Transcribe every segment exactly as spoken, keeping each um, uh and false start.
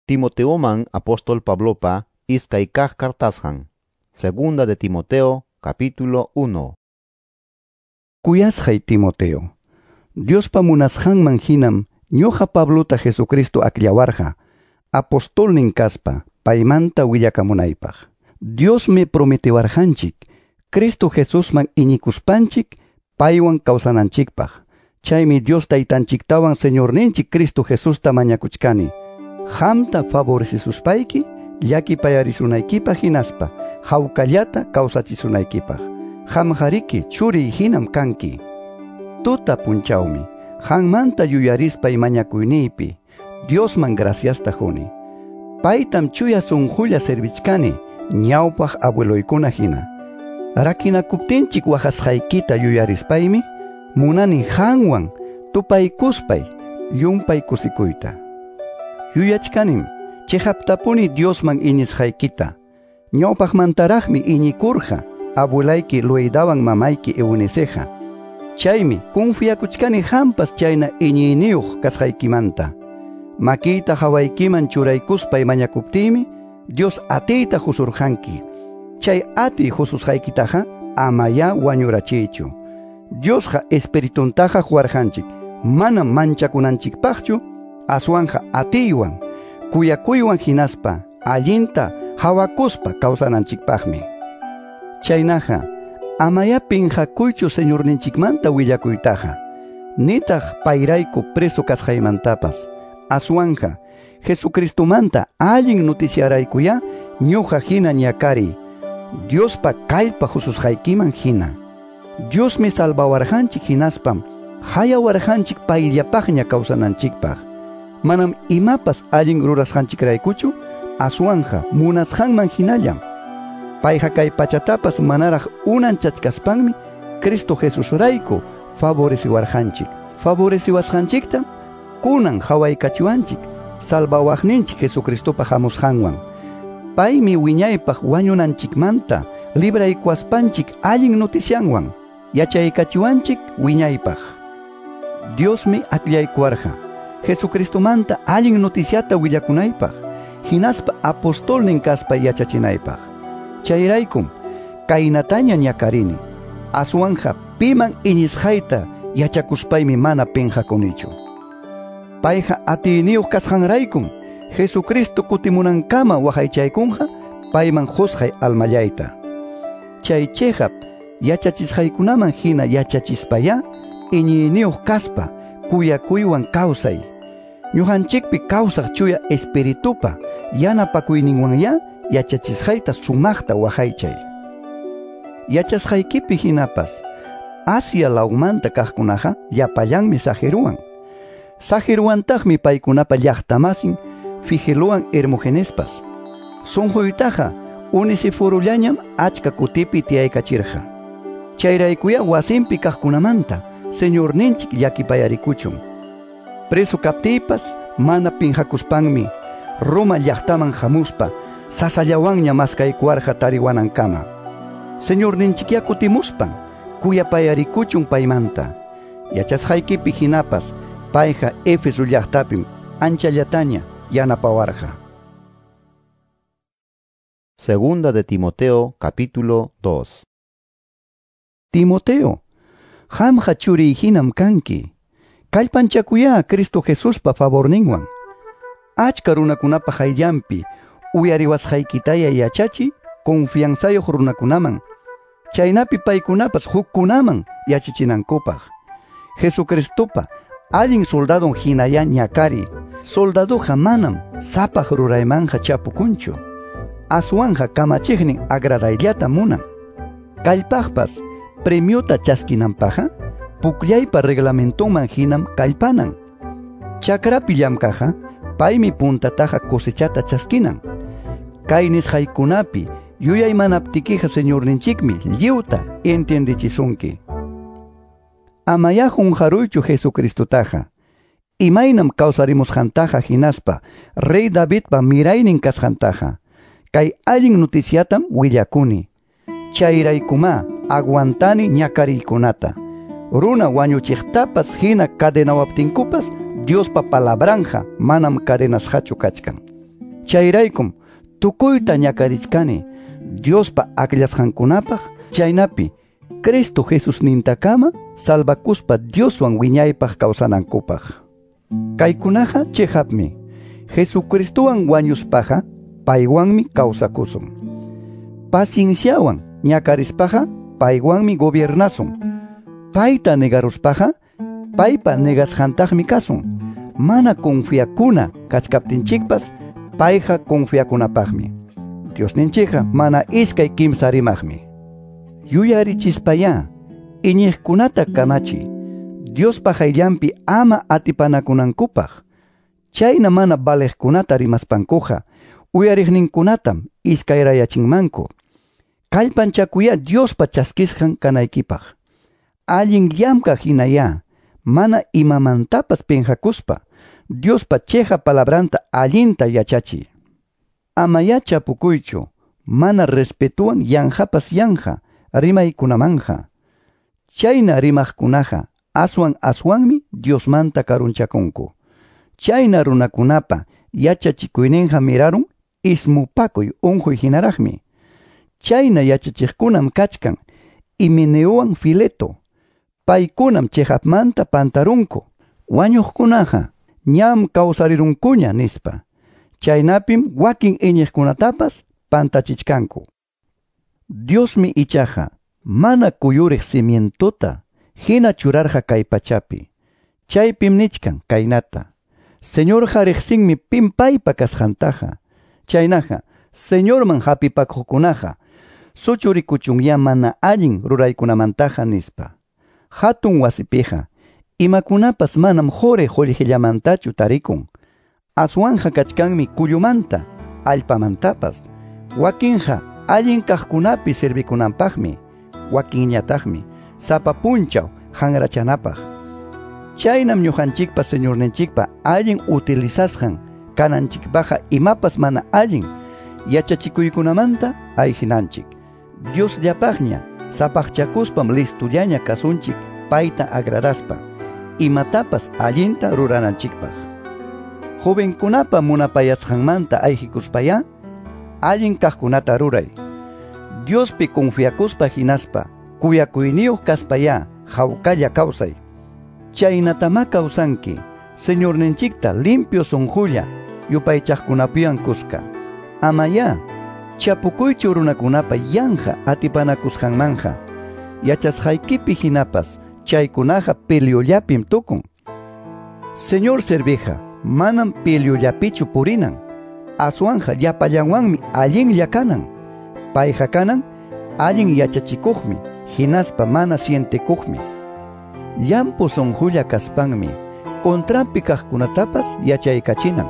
Timoteoman apóstol Pablopa iskay kaq kartasqan. Segunda de Timoteo, capítulo uno. Kuyasqay Timoteo, Diospa munasqanman hinam ñuqa Pablota Jesucristo akllawarqa, apostolnin kaspa paymanta willakamunaypaq. Diosmi prometiwarqanchik, Cristo Jesusman iñikuspanchik paywan kawsananchikpaq. Chaymi Dios taytanchiktawan Señorninchik Cristo Jesusta mañakuchkani. Qamta favorecisuspayki, llakipayarisunaykipaq hinaspa hawkallata kawsachisunaykipaq. Qamqariki churiy hinam kanki. Tuta punchawmi qanmanta yuyarispay mañakuyniypi Diosman graciasta quni. Paytam chuya sunqulla servichkani ñawpaq abueloykuna hina. Rakinakuptinchik waqasqaykita yuyarispaymi munani qanwan tupaykuspay llumpay kusikuyta. Yuyachkanim chiqaptapuni Diosman iñisqaykita. Ñawpaqmantaraqmi iñikurqa abuelayki Loidawan mamayki Euniceja. Chaymi confiakuchkani qampas chayna iñiyniyuq kasqaykimanta. Makiyta hawaykiman churaykuspay mañakuptiymi Dios atiyta husurqanki. Chay atiy hususqaykitaqa amayá wañurachiychu. Diosqa espirituntaqa huwarqanchik, manam manchakunanchikpaqchu, aswanja atiywan, kuyakuywan hinaspa allinta hawakuspa kawsananchikpaqmi. Chaynaqa amayá pinqakuychu Señorninchikmanta willakuytaqa, nitaq payrayku preso kasqaymantapas. Aswanja Jesucristomanta allin noticiaraykuyá ñuqa hina ñakariy, Diospa kallpa hususqaykiman hina. Diosmi salvawarqanchik hinaspam hayawarqanchik payllapaqña kawsananchikpaq. Manam imapas allin rurasqanchikraykuchu, aswanja munasqanman hinallam. Payqa kay pachatapas manaraq unanchachkaspanmi Cristo Jesusrayku favoreciwarqanchik. Favoreciwasqanchiktam kunan hawaykachiwanchik salvawaqninchik Jesucristopa hamusqanwan. Paymi wiñaypaq wañunanchikmanta libraykuwaspanchik allin noticianwan yachaykachiwanchik wiñaypaq. Diosmi akllaykuwarqa Jesucristomanta allin noticiata willakunaypaq, hinaspa apostolnin kaspa yachachinaypaq. Chayraykum kaynataña ñakarini, aswanja piman iñisqayta yachakuspaymi mana pinqakunichu. Payqa atiyniyuq kasqanraykum Jesucristo kutimunankama waqaychaykunqa payman qusqay almallayta. Chay chiqap yachachisqaykunaman hina yachachispayá iñiyniyuq kaspa kuyakuywan kawsay. Ñuqanchikpi kawsaq chuya espiritupa yanapakuyninwanyá yachachisqayta sumaqta waqaychay. Yachasqaykipi hinapas Asia lawmanta kaqkunaqa llapallanmi saqiruwan. Saqiruwantaqmi paykunapa llaqtamasin Figelowan Hermogenespas. Sunquytaqa Onesiforullañam achka kutipi tiyaykachirqa. Chayraykuyá wasinpi kaqkunamanta Señorninchik llakipayarikuchun. Preso kaptiypas mana pinqakuspanmi Roma llaqtaman hamuspa sasallawanña maskaykuwarqa tariwanankama. Señorninchikyá kutimuspan kuyapayarikuchun paymanta. Yachasqaykipi hinapas payqa Éfeso llaqtapim anchallataña yanapawarqa. Segunda de Timoteo, capítulo dos. Timoteo, qamqa churiy hinam kanki. Kallpanchakuyá Cristo Jesuspa favorninwan. Achka runakunapa hayllanpi uyariwasqaykitaya yachachiy confianzayuq runakunaman, chaynapi paykunapas hukkunaman yachachinankupaq. Jesucristopa allin soldadon hinayá ñakariy. Soldadoqa manam sapaq ruraymanqa chapukunchu, aswanja kamachiqnin agradayllata munan. Kallpaqpas premiota chaskinanpaqqa pukllaypa reglamentonman hinam kallpanan. Chakrapi llamkaqqa paymi puntataqa cosechata chaskinan. Kay nisqaykunapi yuyaymanaptikiqa Señorninchikmi lliwta entiendechisunki. Amayá qunqaruychu Jesucristotaqa, imaynam kawsarimusqantaqa hinaspa Rey Davidpa miraynin kasqantaqa. Kay allin noticiatam willakuni. Chayraykumá aguantani ñakariykunata. Runa wañuchiqtapas hina cadenawaptinkupas Diospa palabranja manam cadenasqachu kachkan. Chayraykum tukuyta ñakarichkani Diospa akllasqankunapaq, chaynapi Cristo Jesusnintakama salvakuspa Dioswan wiñaypaq kawsanankupaq. Kaykunaqa chiqapmi. Jesucristowan wañuspaqa paywanmi kawsakusun. Pacienciawan ñakarispaqa paywanmi gobiernasun. Payta negaruspaqa paypa negasqantaqmi kasun. Mana confiakuna kachkaptinchikpas payqa confiakunapaqmi. Diosninchikqa mana iskay kimsa rimaqmi. Yuyarichispayá iñiqkunata kamachi Diospa qayllanpi ama atipanakunankupaq. Chayna mana valiqkunata rimaspankuqa uyariqninkunatam iskayrayachinmanku. Kallpanchakuyá Diospa chaskisqan kanaykipaq. Allin llamkaq hinayá mana imamantapas pinqakuspa Diospa chiqa palabranta allinta yachachiy. Amayá chapukuychu mana respetuwan yanqapas yanqa rimaykunamanja. Chayna rimaqkunaqa aswan aswanmi Diosmanta karunchakunku. Chayna runakunapa yachachikuyninqa mirarun ismupakuy unquy hinaraqmi. Chayna yachachiqkunam kachkan Himeneowan Fileto. Paykunam chiqapmanta pantarunku. Wañuqkunaqa ñam kawsarirunkuña nispa. Chaynapim wakin iñiqkunatapas pantachichkanku. Diosmi ichaqa mana kuyuriq cimientota hina churarqa kay pachapi. Chaypim nichkan kaynata: Señorqa riqsinmi pim paypa kasqantaqa. Chaynaqa Señorman hapipakuqkunaqa suchurikuchunyá mana allin ruraykunamantaqa nispa. Hatun wasipiqa imakunapas manam quri qullqillamantachu tarikun. Aswanja kachkanmi kullumanta, allpamantapas. Wakinqa allin kaqkunapi servikunanpaqmi, wakinñataqmi sapa punchaw hanrachanapaq. Chaynam ñuqanchikpa Señorninchikpa allin utilizasqan kananchikpaqa imapas mana allin yachachikuykunamanta ayhinanchik. Diosllapaqña sapaqchakuspam listullaña kasunchik payta agradaspa imatapas allinta rurananchikpaq. Jovenkunapa munapayasqanmanta ayhikuspayá allin kaqkunata ruray. Diospi confiakuspa hinaspa kuyakuyniyuq kaspayá hawkalla kawsay. Chaynatamá kawsanki Señorninchikta limpio sunqulla yupaychaqkunapiwan kuska. Amayá chapukuychu runakunapa yanqa atipanakusqanmanja. Yachasqaykipi hinapas chaykunaqa peleollapim tukun. Señor serviqa manam peleollapichu purinan. Aswanja llapallanwanmi allinlla kanan. Payqa kanan allin yachachikuqmi hinaspa mana sientikuqmi. Llampu sunqulla kaspanmi contranpi kaqkunatapas yachaykachinan.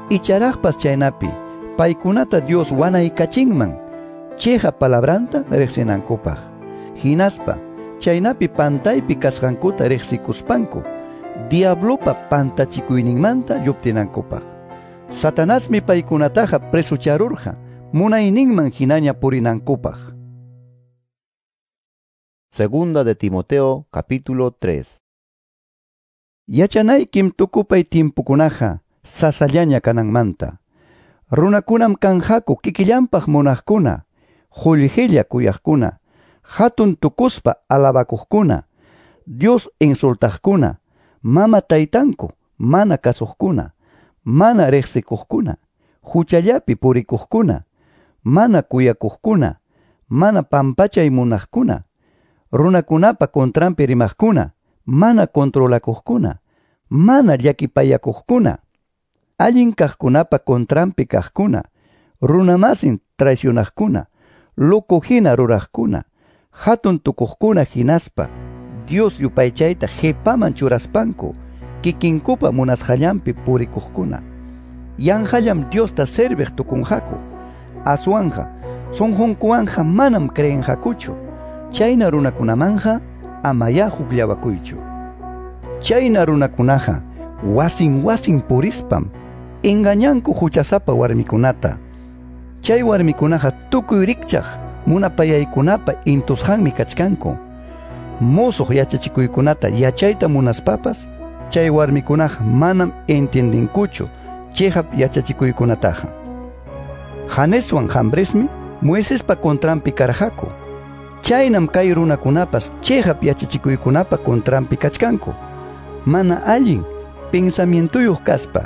Icharaqpas chaynapi paykunata Dios wanaykachinman chiqa palabranta riqsinankupaq. Hinaspa chaynapi pantaypi kasqankuta riqsikuspanku diablopa pantachikuyninmanta lluptinankupaq. Satanasmi paykunataqa presucharurqa munayninman hinaña purinankupaq. Segunda de Timoteo, capítulo tres. Yachanaykim tukupay timpukunaqa sasallaña kananmanta. Runakunam kanqaku kikillanpaq munaqkuna, qullqilla kuyaqkuna, hatun tukuspa alabakuqkuna, Dios insultaqkuna, mama taytanku mana kasuqkuna, mana riqsikuqkuna, huchallapi purikuqkuna, mana kuyakuqkuna, mana pampachay munaqkuna, runakunapa contranpi rimaqkuna, mana controlakuqkuna, mana llakipayakuqkuna, allin kaqkunapa contranpi kaqkuna, runamasin traicionaqkuna, loco hina ruraqkuna, hatun tukuqkuna hinaspa Dios yupaychayta qipaman churaspanku kikinkupa munasqallanpi purikuqkuna. Yanqallam Diosta serviq tukunqaku. Aswanja sunqunkuwanja manam creenqakuchu. Chayna runakunamanja amayá hukllawakuychu. Chayna runakunaqa wasin wasin purispam engañanku huchasapa warmikunata. Chay warmikunaqa tukuy rikchaq munapayaykunapa intusqanmi kachkanku. Musuq yachachikuykunata yachayta munaspapas chay warmikunaqa manam entiendinkuchu Chiqap yachachikuykunataqa. Janeswan Jambresmi Moisespa contranpi karqaku. Chaynam kay runakunapas chiqap yachachikuykunapa contranpi kachkanku. Mana allin pensamientuyuq kaspa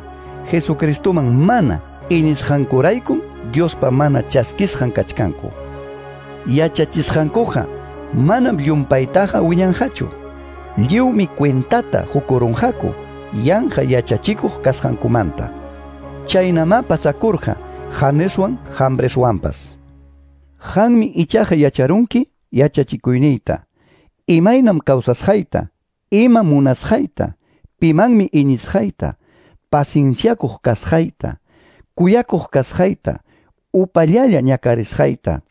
Jesucristoman mana iñisqankuraykum Diospa mana chaskisqan kachkanku. Yachachisqankuqa manam llumpaytaqa wiñanqachu. Lliwmi cuentata hukurunqaku yanqa yachachikuq kasqankumanta. Chaynamá pasakurqa Janeswan Jambreswanpas. Qanmi ichaqa yacharunki yachachikuyniyta, imaynam kawsasqayta, ima munasqayta, pimanmi iñisqayta, pacienciakuq kasqayta, kuyakuq kasqayta, upallalla ñakarisqayta,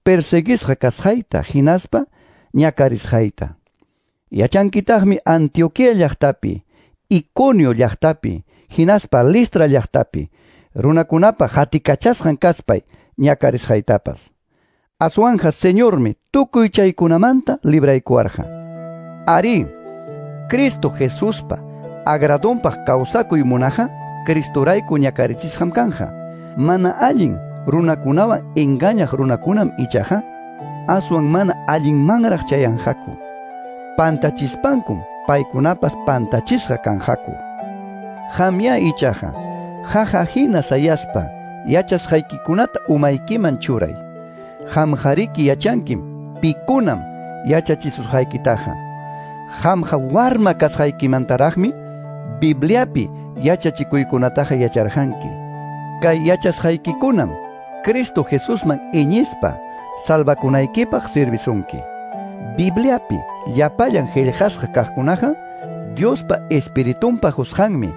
perseguisqa kasqayta, hinaspa ñakarisqayta. Yachankitaqmi Antioquía llaqtapi, Iconio llaqtapi, hinaspa Listra llaqtapi, runakunapa hatikachasqan kaspay ñakarisqaytapas. Aswanja Señormi tukuy chaykunamanta libraykuwarqa. Arí, Cristo Jesuspa agradonpaq kawsakuy munaqa Cristorayku ñakarichisqam kanja. Mana allin runakunawan engañaq runakunam ichaqa aswan mana allinmanraq chayanqaku. Pantachispankum paykunapas pantachisqa kanqaku. Qamya ichaqa jaja hina sayaspa yachasqaykikunata umaykiman churay. Qamqariki yachankim pikunam yachachisusqaykitaqa. Qamqa warma kasqaykimantaraqmi Bibliapi yachachikuykunataqa yacharqanki. Kay yachasqaykikunam Cristo Jesusman iñispa salvakunaykipaq servisunki. Bibliapi llapallan qillqasqa kaqkunaqa Diospa Espiritunpa qusqanmi.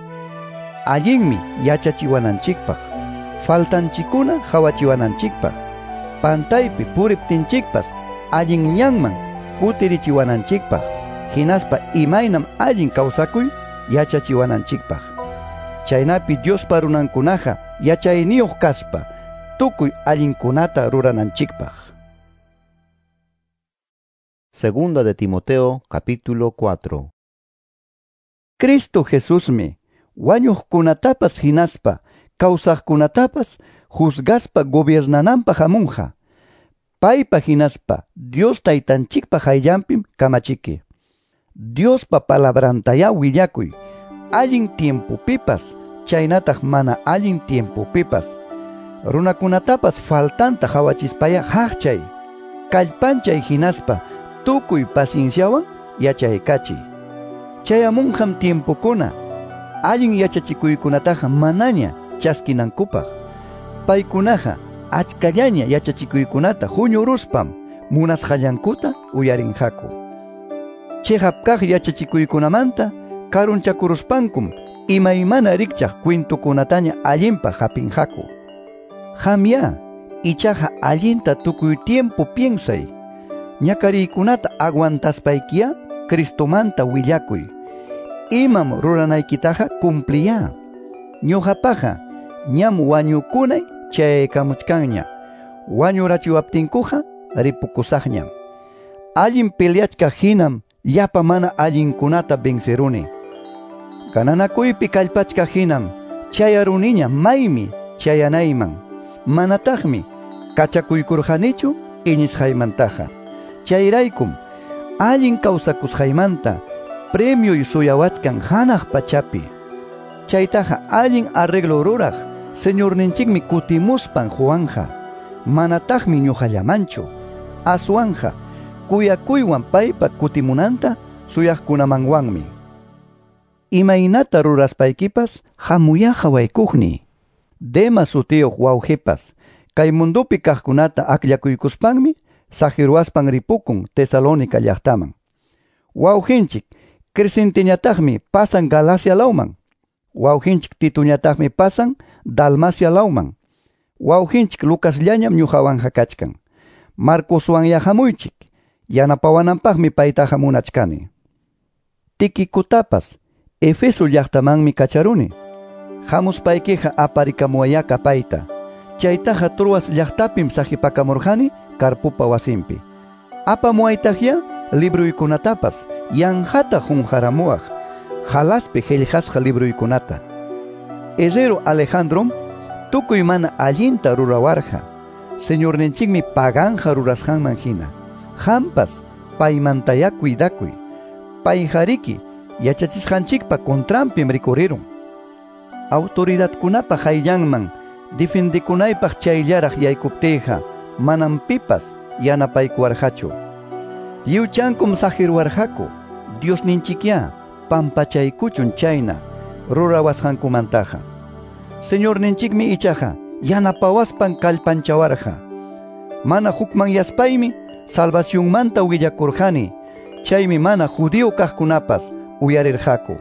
Allinmi yachachiwananchikpaq, faltanchikuna hawachiwananchikpaq, pantaypi puriptinchikpas allin ñanman kutirichiwananchikpaq, hinaspa imaynam allin kawsakuy yachachiwananchikpaq. Chaynapi Diospa runankunaqa yachayniyuq kaspa tukuy allinkunata rurananchikpaq. Segunda de Timoteo, capítulo cuatro. Cristo Jesusmi wañuqkunatapas hinaspa kawsaqkunatapas juzgaspa gobiernananpaq hamunqa. Paypa hinaspa Dios taytanchikpa hayllanpim kamachiki. Diospa palabrantayá willakuy allin tiempopipas chaynataq mana allin tiempopipas. Runakunatapas faltanta hawachispaya haqchay, kallpanchay hinaspa tukuy pacienciawan yachaykachiy. Chayamunqam tiempokuna allin yachachikuykunataqa manaña chaskinankupaq. Paykunaqa achkallaña yachachikuykunata huñuruspam munasqallankuta uyarinqaku. Chiqap kaq yachachikuykunamanta karunchakuruspankum imaymana rikchaq kwintukunataña allinpaq hapinqaku. Qamya ichaqa allinta tukuy tiempo piensay. Ñakariykunata aguantaspaykiya Cristomanta willakuy. Imam ruranaykitaqa cumpliya. Ñuqapaqa ñam wañukunay chayaykamuchkanña. Wañurachiwaptinkuqa ripukusaqñam. Allin peleachkaq hinam llapa mana allinkunata venceruni. Gananakuypi kallpachkaq hinam chayaruniña maymi chayanayman. Manataqmi kachakuykurqanichu iñisqaymantaqa. Chayraykum allin kawsakusqaymanta premioy suyawachkan hanaq pachapi. Chaytaqa allin arreglo ruraq Señorninchikmi kutimuspan Juanja. Manataqmi ñuqallamanchu. Aswanja kuyakuywan paypa kutimunanta suyaqkunamanwanmi. Imaynata ruraspaykipas hamuya hawaykuqni. Demas sutiyuq wawqipas kay mundupi kaqkunata akllakuykuspanmi saqiruwaspan ripukun Tesalónica llaqtaman. Wawqinchik Crescentiñataqmi pasan Galacia lawman. Wawqinchik Tituñataqmi pasan Dalmacia lawman. Wawqinchik Lucasllañam ñuqawanqa kachkan. Marcoswanya hamuychik. Yanapawananpaqmi paytaqa munachkani. Tiquicutapas Efeso llaqtamanmi kacharuni. Hamuspaykiqa aparikamuwayaka payta. Chaytaqa Troas llaqtapim saqipakamurqani Carpupa wasinpi. Apamuwaytaqya libruykunatapas yanqata qunqaramuwaq Jalaspi qillqasqa libruykunata. Herrero Alejandrom tukuy mana allinta rurawarqa. Señorninchikmi paganja rurasqanman hina. Hampas paymantayá cuidakuy. Payjariki yachachisqanchikpa contranpim rikurirun. Autoridadkunapa hayllanman defendikunaypaq chayllaraq yaykuptiyqa manam pipas yanapaykuwarqachu. Lliwchankum saqirwarqaku. Diosninchikyá pampachaykuchun chayna rurawasqankumantaqa. Señorninchikmi ichaqa yanapawaspan kallpanchawarqa. Mana hukmanyaspaymi salvacionmanta willakurqani. Chaymi mana judío kaqkunapas uyarirqaku.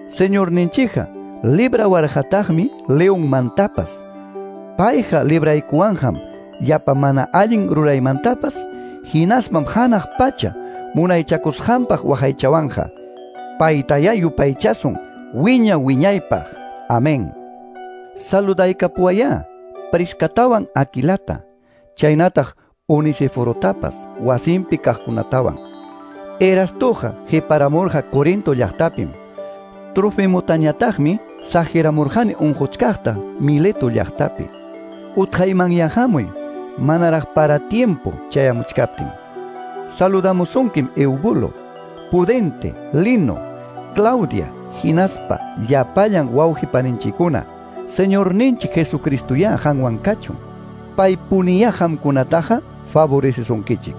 Señorninchikqa librawarqataqmi leonmantapas. Payqa libraykuwanqam llapa mana allin ruraymantapas, hinaspam hanaq pacha munaychakusqanpaq waqaychawanqa. Paytayá yupaychasun wiña wiñaypaq. Amén. Saludaykapuwayá Priscatawan Aquilata, chaynataq Onesiforotapas wasinpi kaqkunatawan. Erastoqa qiparamurqa Corinto llaqtapim. Trofimotañataqmi saqiramurqani unquchkaqta Mileto llaqtapi. Utqayman hamuy manaraq para tiempo chayamuchkaptin. Saludamusunkim Eubulo, Pudente, Lino, Claudia, hinaspa llapallan wawqipaninchikkuna. Señorninchik Jesucristoyá qanwan kachun. Paypuniyá qamkunataqa favorecesunkichik.